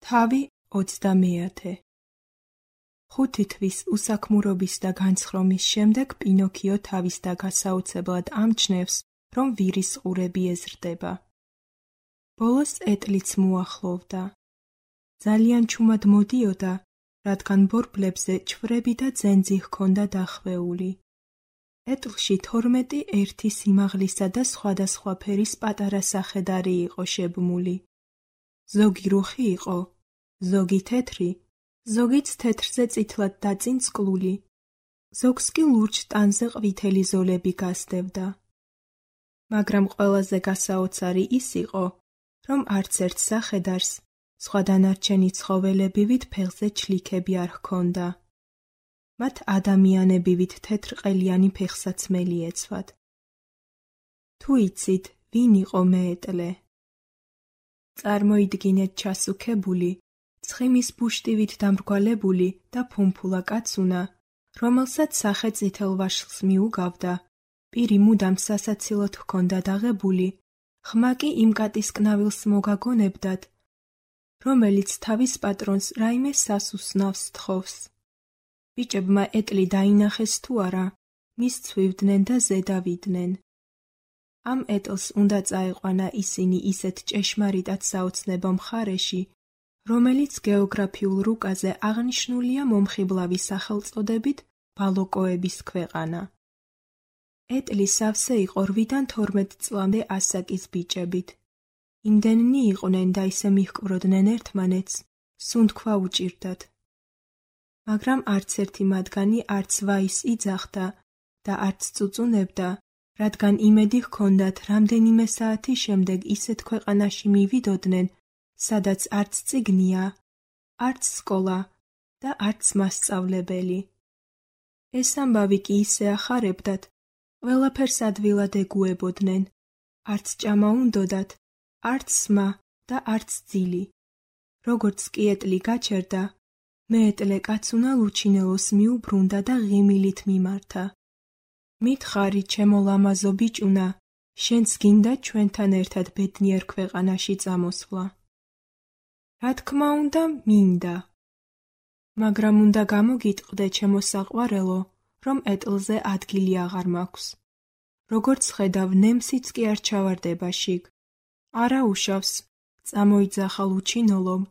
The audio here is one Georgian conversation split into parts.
თავი 30. 5 თვის უსაქმურობის და განცხრომის შემდეგ პინოქიო თავის და გასაოცებლად ამჩნევს, რომ ვირის ყურები ეზრდება. ბოლოს ეტლიც მოახლოვდა. ძალიან ჩუმად მოდიოდა, რადგან ბორბლებზე ჩვრები და ძენძი ჰქონდა დახვეული. ეტლში 12 ერთი სიმაღლისა და სხვადასხვა ფერის პატარა სახედარი იყო შებმული. ზოგი რუხი იყო, ზოგი თეთრი, ზოგიც თეთრზე წითლად დაწინ წკლული, ზოგს კი ლურჯ ტანზე ყვითელი ზოლები გასდევდა. მაგრამ ყველაზე გასაოცარი ის იყო, რომ არც ერთ სახედარს სხვა დანარჩენი ცხოველებივით ფეხზე ჩლიქები არ ჰქონდა. მათ ადამიანებივით თეთრყელიანი ფეხსაცმელი ეცვათ. თუ იცით, ვინ იყო მეეტლე? წარმოიდგინეთ ჩასუქებული, ცხიმის ბუშტივით დამრგვალებული და ფუმფულა კაცუნა, რომელსაც სახე წითელ ვაშლს მიუგავდა, პირი მუდამ სასაცილოდ ჰქონდა დაღებული, ხმა კი იმ კატისკნავილს მოგაგონებდათ, რომელიც თავის პატრონს რაიმე სასუსნავს თხოვს. ბიჭებმა ეტლი დაინახეს თუ არა, მის ცვივდნენ და ზედავიდნენ. ამ ეტლს უნდა წაეყვანა ისინი ისეთ ჭეშმარიტად საოცნებო მხარეში, რომელიც გეოგრაფიულ რუკაზე აღნიშნულია მომხიბლავი სახელწოდებით ბალოკოების ქვეყანა. ეტლი სავსე იყო 8-დან 12 წლამდე ასაკის ბიჭებით. იმდენნი იყვნენ და ისე მიჰკვროდნენ ერთმანეთს, სუნთქვა უჭირდათ. მაგრამ არც ერთი მათგანი არც ვაის იძახდა და არც წუწუნებდა, რადგან იმედი ჰქონდათ რამდენიმე საათის შემდეგ ისეთ ქვეყანაში მივიდოდნენ, სადაც არც წიგნია, არც სკოლა და არც მასწავლებელი. ეს ამბავი კი ისე ახარებდათ, ყველაფერს ადვილად ეგუებოდნენ, არც ჭამა უნდოდათ, არც სმა და არც ძილი. როგორც კი ეტლი გაჩერდა, მეეტლე კაცუნა ლუჩინელოს მიუბრუნდა და ღიმილით მიმართა. მითხარი, ჩემო ლამაზო ბიჭუნა, შენც გინდა ჩვენთან ერთად ბედნიერ ქვეყანაში წამოსვლა? რა თქმა უნდა, მინდა. მაგრამ უნდა გამოგიტყდე, ჩემო საყვარელო, რომ ეტლზე ადგილი აღარ მაქვს. როგორც ხედავ, ნემსიც კი არ ჩავარდება შიგ. არა უშავს, წამოიძახა ლუჩინოლომ,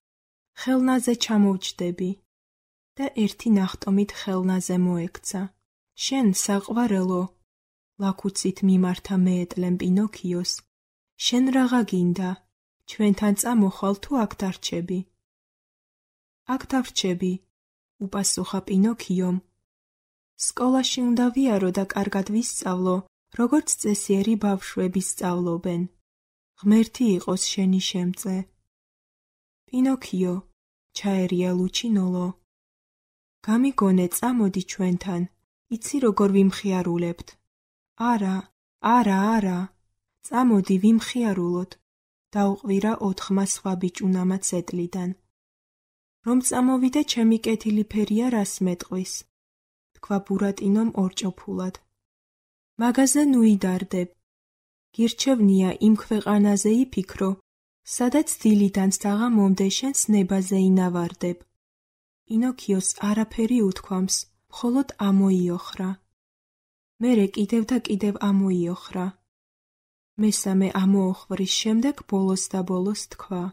ხელნაზე ჩამოვჯდები და ერთი ნახტომით ხელნაზე მოექცა. შენ, საყვარელო, ლაქუცით მიმართა მეეტლემ პინოქიოს, შენ რაღა გინდა, ჩვენთან წამოხვალ თუ აქ დარჩები? აქ დავრჩები, უპასუხა პინოქიომ. სკოლაში უნდა ვიარო და კარგად ვისწავლო, როგორც წესიერი ბავშვები სწავლობენ. ღმერთი იყოს შენი შემწე. პინოქიო, ჩაერია ლუჩინოლო. გამიგონე, წამოდი ჩვენთან, იცი როგორ ვიმხიარულებთ. არა, არა, არა, წამოდი ვიმხიარულოთ, დაუყვირა 4 სხვა ბიჭუნამაც ეტლიდან. რომ წამოვიდე, ჩემი კეთილი ფერია რას მეტყვის, თქვა ბურატინომ ორჭოფულად. მაგაზე ნუიდარდებ. გირჩევნია იმ ქვეყანაზე იფიქრო, სადაც დილიდან საღამომდე შენს ნებაზე ინავარდებ. პინოქიოს არაფერი უთქვამს, მხოლოდ ამოიოხრა. მერე კიდევ და კიდევ ამოიოხრა. მესამე ამოოხვრის შემდეგ ბოლოს და ბოლოს თქვა.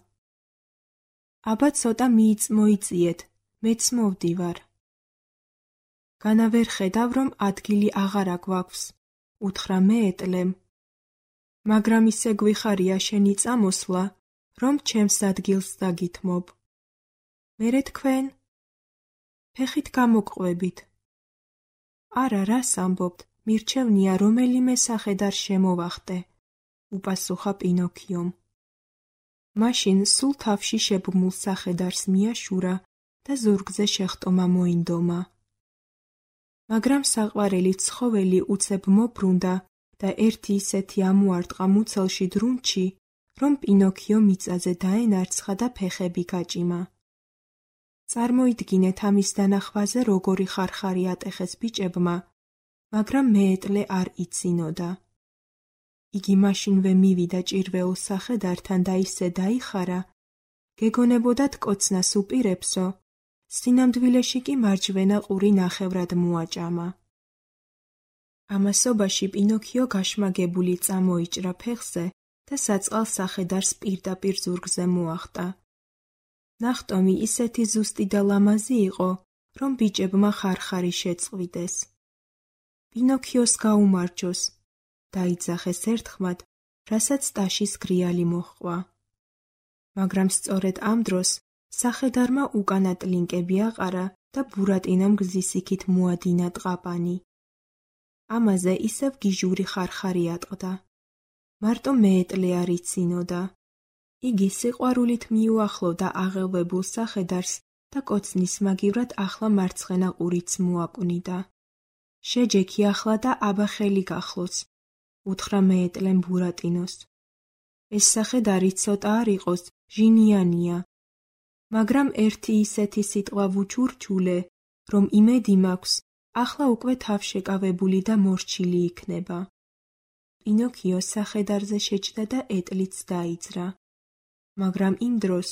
აბა ცოტა მიიწმოიწიეთ, მეც მოვდივარ. განა ვერ ხედავ, რომ ადგილი აღარა გვაქვს, უთხრა მეეტლემ. მაგრამ ისე გვიხარია შენი წამოსვლა, რომ ჩემს ადგილს დაგითმობ. მერე თქვენ? ფეხით გამოგყვებით. არა, რას ამბობთ, მირჩევნია რომელიმე სახედარ შემოვახტე, უპასუხა პინოქიომ. მაშინ სულ თავში შებმულ სახედარს მიაშურა და ზურგზე შეხტომა მოინდომა. მაგრამ საყვარელი ცხოველი უცებ მობრუნდა და ერთი ისეთი ამოარტყა მუცელში დრუნჩი, რომ პინოქიო მიწაზე დაენარცხა და ფეხები გაჭიმა. წარმოიდგინეთ ამის დანახვაზე როგორი ხარხარი ატეხეს ბიჭებმა, მაგრამ მეეტლე არ იცინოდა. იგი მაშინვე მივიდა ჭირვეულ სახედართან და ისე დაიხარა, გეგონებოდათ კოცნას უპირებსო, სინამდვილეში კი მარჯვენა ყური ნახევრად მოაჭამა. ამასობაში პინოქიო გაშმაგებული წამოიჭრა ფეხზე და საწყალ სახედარს პირდაპირ ზურგზე მოახტა. ნახტომი ისეთი ზუსტი და ლამაზი იყო, რომ ბიჭებმა ხარხარი შეწყვიტეს. პინოქიოს გაუმარჯოს, დაიძახეს ერთხმად, რასაც ტაშის გრიალი მოჰყვა. მაგრამ სწორედ ამ დროს სახედარმა უკანა ტლინკები აყარა და ბურატინომ გზის იქით მოადინა ტყაპანი. ამაზე ისევ გიჟური ხარხარი ატყდა. მარტო მეეტლე არ იცინოდა. იგი სიყვარულით მიუახლოვდა აღელვებულ სახედარს და კოცნის მაგივრად ახლა მარცხენა ყურიც მოაკვნიდა. შეჯექი ახლა და აბა ხელი გახლოც, უთხრა მეეტლემ ბურატინოს. ეს სახედარი ცოტა არ იყოს, ჟინიანია, მაგრამ ერთი ისეთი სიტყვა ვუჩურჩულე, რომ იმედი მაქვს, ახლა უკვე თავშეკავებული და მორჩილი იქნება. პინოქიო სახედარზე შეჯდა და ეტლიც დაიძრა. მაგრამ იმ დროს,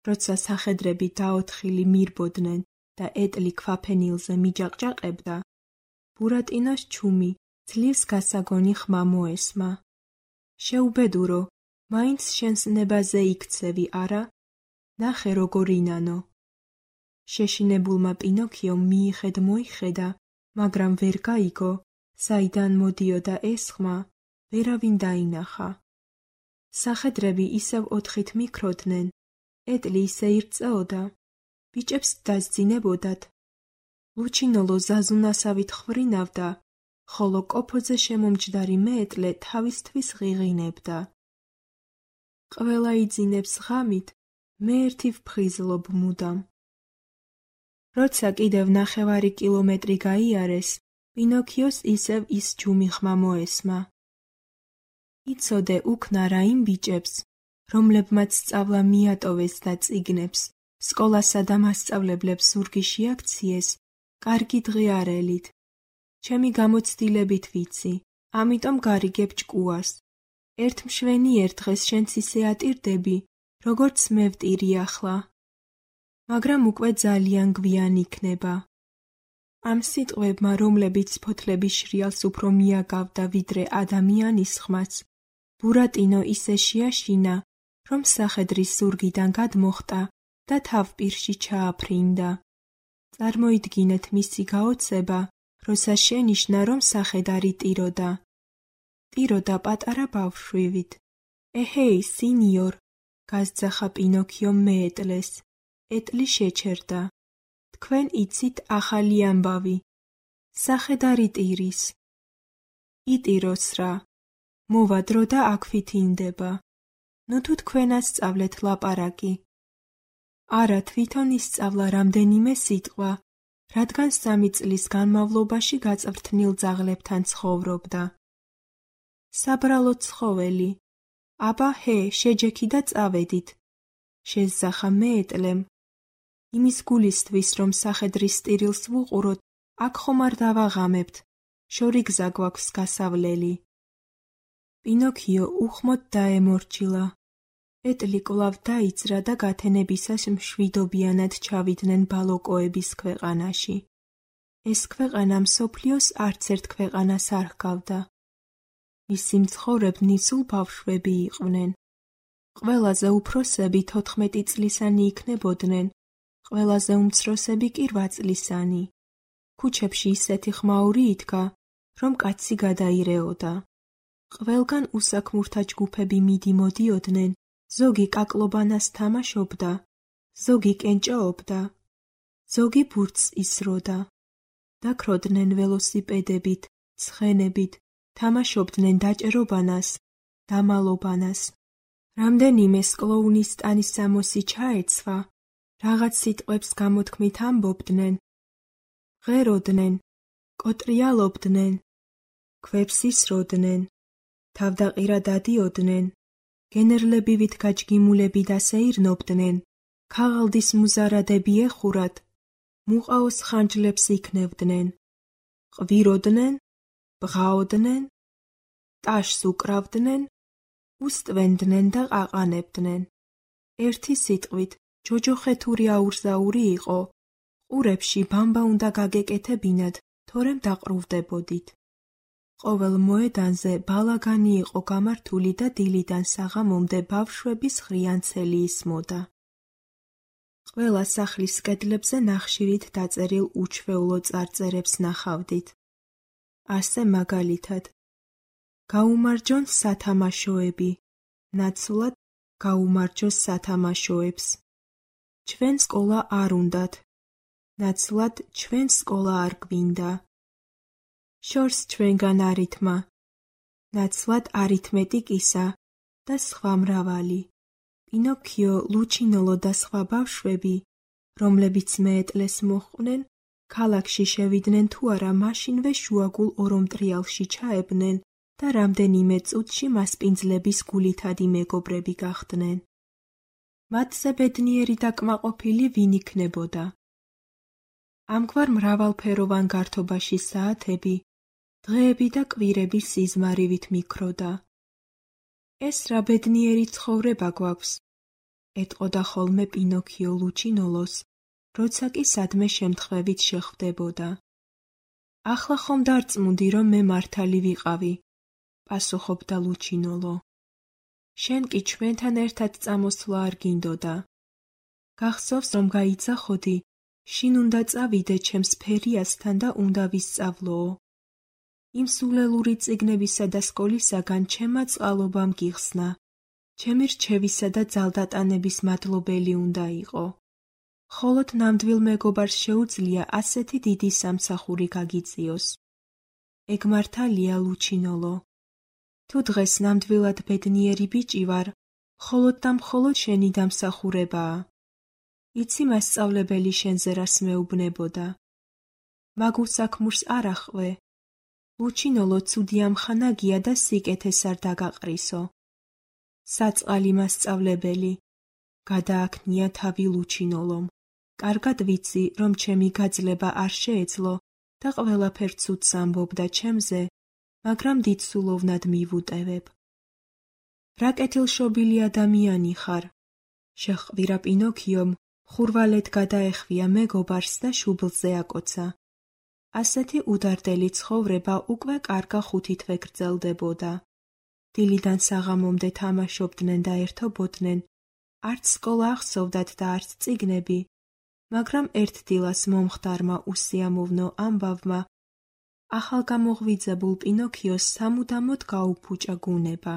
როცა სახედრები დაოთხილი მირბოდნენ და ეტლი ქვაფენილზე მიჯაყჯაყებდა, ბურატინოს ჩუმი ძლივს გასაგონი ხმა მოესმა. შეუბედურო, მაინც შენს ნებაზე იქცევი, არა? ნახე როგორ ინანო. შეშინებულმა პინოქიომ მიიხედ-მოიხედა, მაგრამ ვერ გაიგო, საიდან მოდიოდა ეს ხმა, ვერავინ დაინახა. სახედრები ისევ ოთხით მიქროდნენ, ეტლი ისე ირწეოდა, ბიჭებს დასძინებოდათ. ლუჩინოლო ზაზუნასავით ხვვრინავდა, ხოლო კოფოზე შემომჯდარი მეეტლე თავისთვის ღიღინებდა. ყველა იძინებს ღამით, მე ერთი ვფხიზლობ მუდამ. როცა კიდევ 9 კილომეტრი გაიარეს, პინოქიოს ისევ ის ჯუმი ხმა მოესმა. იცოდე უქნა რა იმ ბიჭებს, რომლებმაც სწავლა მიატოვეს და წიგნებს, სკოლასა და მასწავლებლებს ზურგი შეაქციეს, კარგი დღე არელით. ჩემი გამოცდილებით ვიცი, ამიტომ გარიგებ ჭკუას. ერთ მშვენიერ დღეს შენც ისე ატირდები, როგორც მე ვტირი ახლა. მაგრამ უკვე ძალიან გვიან იქნება. ამ სიტყვებმა, რომლებიც ფოთლების შრიალს უფრო მიაგავდა ვიდრე ადამიანის ხმაც, ბურატინო ისე შეაშინა, რომ სახედრის ზურგიდან გადმოხტა და თავპირში ჩააფრინდა. წარმოიდგინეთ მისი გაოცება, როცა შენიშნა, რომ სახედარი ტიროდა. ტიროდა პატარა ბავშვივით. ეჰეი, სინიორ, გასძახა პინოქიო მეეტლეს. ეტლი შეჩერდა. თქვენ იცით ახალი ამბავი. სახედარი ტირის. იტიროს რა. მოვა დრო და აქვით ინდება. ნუ თუ თქვენ ასწავლეთ ლაპარაკი. არა, თვითონ ისწავლა რამდენიმე სიტყვა, რადგან 3 წლის განმავლობაში გაწვრთნილ ძაღლებთან ცხოვრობდა. საბრალო ცხოველი. აბა ჰე, შეჯექი და წავედით. შეზახა მეეტლემ. იმის გულისთვის, რომ სახედრის ტირილს ვუყუროთ, აქ ხომ არ დავაღამებთ, შორი გზა გვაქვს გასავლელი. პინოქიო უხმოდ დაემორჩილა. ეტლი კვლავ დაიძრა და გათენებისას მშვიდობიანად ჩავიდნენ ბალოკოების ქვეყანაში. ეს ქვეყანა მსოფლიოს არც ერთ ქვეყანას არ ჰგავდა. მისი მცხოვრებნი სულ ბავშვები იყვნენ. ყველაზე უფროსები 14 წლისანი იქნებოდნენ, ყველაზე უმცროსები კი 8 წლისანი. ქუჩებში ისეთი ხმაური იდგა, რომ კაცი გადაირეოდა. ყველგან უსაქმურთა ჯგუფები მიდიმოდიოდნენ, ზოგი კაკლობანას თამაშობდა, ზოგი კენჭაობდა, ზოგი ბურთს ისროდა. დაქროდნენ ველოსიპედებით, ცხენებით, თამაშობდნენ დაჭერობანას, დამალობანას. რამდენიმე სკლოუნის ტანის სამოსი ჩაეცვა, რაღაც სიტყვებს გამოთქმით ამბობდნენ, ღეროდნენ, კოტრიალობდნენ, ქვებს ისროდნენ, თავდაყირა დადიოდნენ, გენერლებივით გაჯგიმულები დასეირნობდნენ, ქაღალდის მუზარადები ეხურად, მუყაოს ხანჯლებს იქნევდნენ, ყვიროდნენ, ბღაოდნენ, ტაშს უკრავდნენ, უსტვენდნენ და ყაყანებდნენ. ერთი სიტყვით, ჯოჯოხეთური აურზაური იყო. ყურებში ბამბა უნდა გაგეკეთებინათ, თორემ დაყრუვდებოდით. ყოველ მოედანზე ბალაგანი იყო გამართული და დილიდან საღამომდე ბავშვების ხრიანცელი ისმოდა. ყველა სახლის კედლებზე ნახშირით დაწერილ უჩვეულო წარწერებს ნახავდით. ასე მაგალითად, გაუმარჯონ სათამაშოები, ნაცვლად გაუმარჯოს სათამაშოებს. ჩვენ სკოლა არ უნდათ, ნაცვლად ჩვენ სკოლა არ გვინდა. შორს ჩვენგან არითმა, ნაცვლად არითმეტიკისა და სხვა მრავალი. პინოქიო, ლუჩინოლო და სხვა ბავშვები, რომლებიც მეეტლეს მოჰყვნენ, ქალაქში შევიდნენ თუ არა მაშინვე შუაგულ ორომტრიალში ჩაებნენ და რამდენიმე წუთში მასპინძლების გულითადი მეგობრები გახდნენ. მათზე ბედნიერი და კმაყოფილი ვინ იქნებოდა? ამგვარ მრავალფეროვან გართობაში საათები, დღეები და კვირები სიზმარივით მიქროდა. ეს რა ბედნიერი ცხოვრება გვაქვს, ეტყოდა ხოლმე პინოქიო ლუჩინოლოს, როცა კი სადმე შემთხვევით შეხვდებოდა. ახლა ხომ დარწმუნდი, რომ მე მართალი ვიყავი, პასუხობდა ლუჩინოლო. შენ კი ჩვენთან ერთად წამოსვლა არ გინდოდა. გახსოვს, რომ გაიძახოდი, შინ უნდა წავიდე ჩემს ფერიასთან და უნდა ვისწავლოო. იმ სულელური წიგნებისა და სკოლისაგან ჩემმა წყალობამ გიხსნა. ჩემი რჩევისა და ძალდატანების მადლობელი უნდა იყო. ხოლოდ ნამდვილ მეგობარს შეუძლია ასეთი დიდი სამსახური გაგიწიოს. ეგ მართალია, ლუჩინოლო. თუ დღეს ნამდვილად ბედნიერი ბიჭი ვარ, მხოლოდ და მხოლოდ შენი დამსახურებაა. იცი მასწავლებელი შენზე რას მეუბნებოდა. მაგ უსაქმურს არ ახვე. ლუჩინოლო ცუდი ამხანაგია და სიკეთეს არ დაგაყრისო. საწყალი მასწავლებელი, გადააქნია თავი ლუჩინოლომ. კარგად ვიცი, რომ ჩემი გაძლება არ შეეძლო და ყველაფერ ცუდს ამბობდა ჩემზე, მაგრამ დიდ სულოვნად მივუტევებ. რა კეთილშობილი ადამიანი ხარ, შეჰყვირა პინოქიომ, ხურვალეთ გადაეხვია მეგობარს და შუბლზე აკოცა. ასეთი udardeli ცხოვრება უკვე კარგა ხუთითვე გრძელდებოდა. დილიდან საღამომდე თამაშობდნენ და ერთობოდნენ, არც სკოლა ახსოვდათ და არც წიგნები, მაგრამ ერთ დილას მომხდარმა უსიამოვნო ამბავმა ახალგამოღვიძებულ პინოქიოს სამუდამოდ გაუფუჭა გუნება.